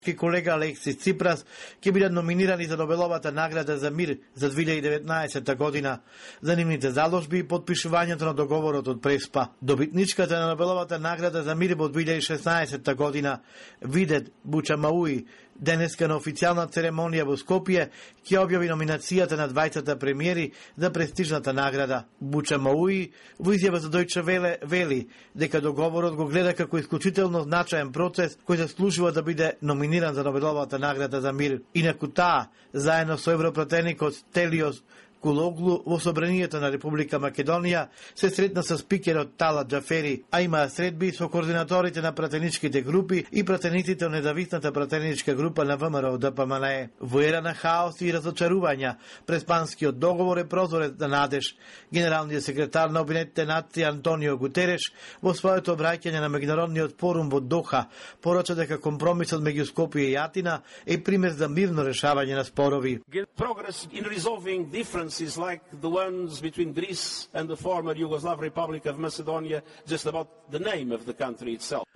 колега Алексис Ципрас ќе бидат номинирани за Нобеловата награда за мир за 2019 година за нивните заложби и подпишувањето на договорот од Преспа. Добитничката на Нобеловата награда за мир во 2016 година, Видет Бучамауи, денеска на официјална церемонија во Скопје ќе објави номинацијата на двајцата премиери за престижната награда. Бучамауи во изјава за Дојче Веле вели дека договорот го гледа како исклучително значаен процес кој заслужува да биде номиниран за Нобеловата награда за мир. Инаку таа, заедно со европратеникот Телиос Кулоглу во собранието на Република Македонија се сретна со спикерот Талат Џафери, а имаа средби со координаторите на пратеничките групи и пратениците од независната пратеничка група на ВМРО ДПМНЕ. Во ера на хаос и разочарувања, Преспанскиот договор е прозорец на надеж. Генералниот секретар на Обединетите нации Антонио Гутереш во своето обраќање на меѓународниот форум во Доха порача дека компромисот меѓу Скопје и Атина е пример за мирно решавање на спорови. Is like the ones between Greece and the former Yugoslav Republic of Macedonia, just about the name of the country itself.